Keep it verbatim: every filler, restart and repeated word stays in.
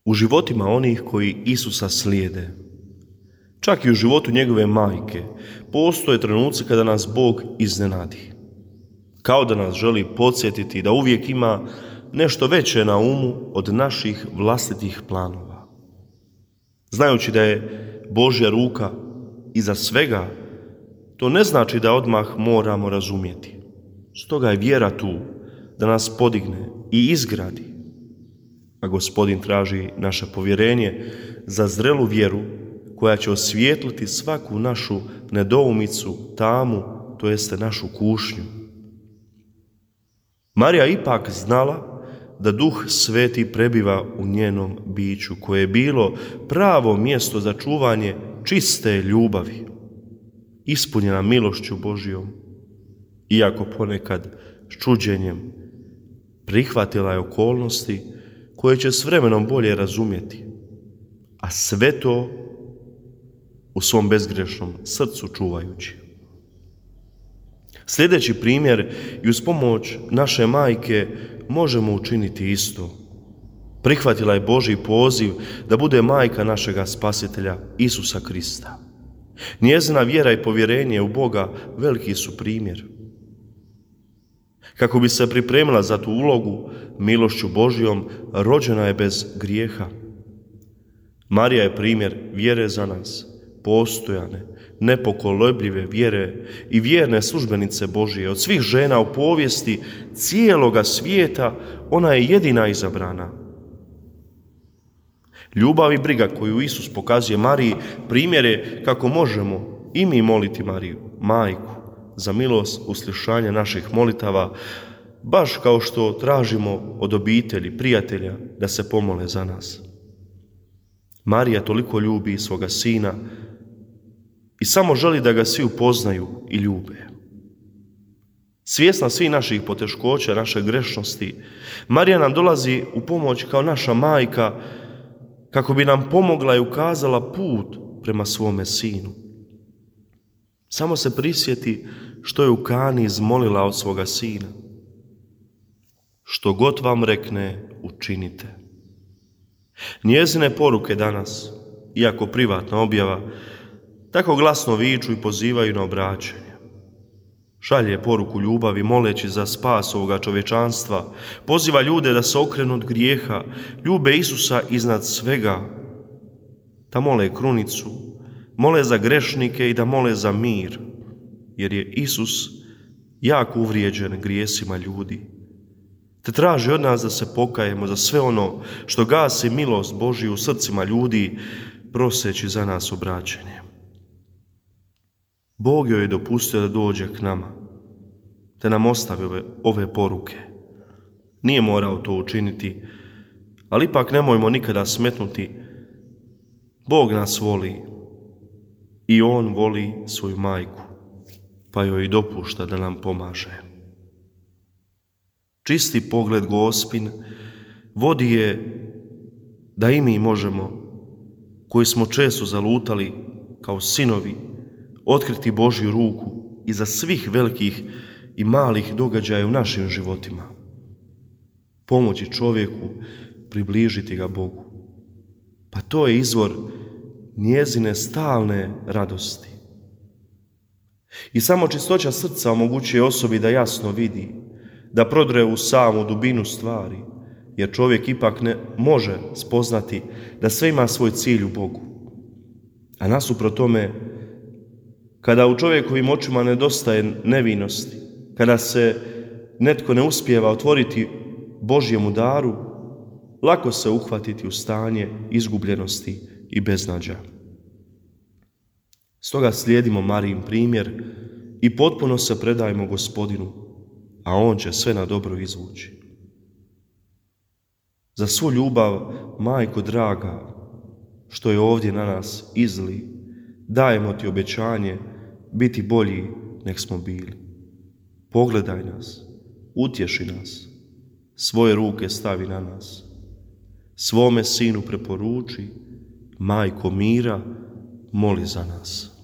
u životima onih koji Isusa slijede. Čak i u životu njegove majke postoje trenuci kada nas Bog iznenadi. Kao da nas želi podsjetiti da uvijek ima nešto veće na umu od naših vlastitih planova. Znajući da je Božja ruka iza svega, to ne znači da odmah moramo razumjeti. Stoga je vjera tu da nas podigne i izgradi. A Gospodin traži naše povjerenje za zrelu vjeru koja će osvijetliti svaku našu nedoumicu, tamu, to jeste našu kušnju. Marija ipak znala da Duh Sveti prebiva u njenom biću, koje je bilo pravo mjesto za čuvanje čiste ljubavi, ispunjena milošću Božjom, iako ponekad s čuđenjem prihvatila je okolnosti koje će s vremenom bolje razumjeti, a sve to u svom bezgrešnom srcu čuvajući. Sljedeći primjer i uz pomoć naše majke možemo učiniti isto. Prihvatila je Božji poziv da bude majka našega Spasitelja Isusa Krista. Njezina vjera i povjerenje u Boga veliki su primjer. Kako bi se pripremila za tu ulogu, milošću Božjom rođena je bez grijeha. Marija je primjer vjere za nas, postojane, nepokolebljive vjere i vjerne službenice Božje. Od svih žena u povijesti cijeloga svijeta ona je jedina izabrana. Ljubav i briga koju Isus pokazuje Mariji primjer je kako možemo i mi moliti Mariju, majku, za milost uslišanja naših molitava, baš kao što tražimo od obitelji, prijatelja da se pomole za nas. Marija toliko ljubi svoga sina i samo želi da ga svi upoznaju i ljube. Svjesna svih naših poteškoća, naše grešnosti, Marija nam dolazi u pomoć kao naša majka kako bi nam pomogla i ukazala put prema svome sinu. Samo se prisjeti što je u Kani izmolila od svoga sina. Što god vam rekne, učinite. Njezine poruke danas, iako privatna objava, tako glasno viču i pozivaju na obraćanje. Šalje poruku ljubavi moleći za spas ovoga čovječanstva, poziva ljude da se okrenu od grijeha, ljube Isusa iznad svega, da mole krunicu, mole za grešnike i da mole za mir, jer je Isus jako uvrijeđen grijesima ljudi, te traži od nas da se pokajemo za sve ono što gasi milost Božju u srcima ljudi, proseći za nas obraćanje. Bog joj je dopustio da dođe k nama, te nam ostavi ove, ove poruke. Nije morao to učiniti, ali ipak nemojmo nikada smetnuti. Bog nas voli i On voli svoju majku, pa joj dopušta da nam pomaže. Čisti pogled Gospin vodi je da i mi možemo, koji smo često zalutali kao sinovi, otkriti Božju ruku iza svih velikih i malih događaja u našim životima. Pomoći čovjeku, približiti ga Bogu. Pa to je izvor njezine stalne radosti. I samo čistoća srca omogućuje osobi da jasno vidi, da prodre u samu dubinu stvari, jer čovjek ipak ne može spoznati da sve ima svoj cilj u Bogu. A nasuprot tome, kada u čovjekovim očima nedostaje nevinosti, kada se netko ne uspijeva otvoriti Božjemu daru, lako se uhvatiti u stanje izgubljenosti i beznađa. Stoga slijedimo Marijin primjer i potpuno se predajmo Gospodinu, a On će sve na dobro izvući. Za svu ljubav, majko draga, što je ovdje na nas izli, dajemo ti obećanje biti bolji nek smo bili. Pogledaj nas, utješi nas, svoje ruke stavi na nas. Svome sinu preporuči, majko mira, moli za nas.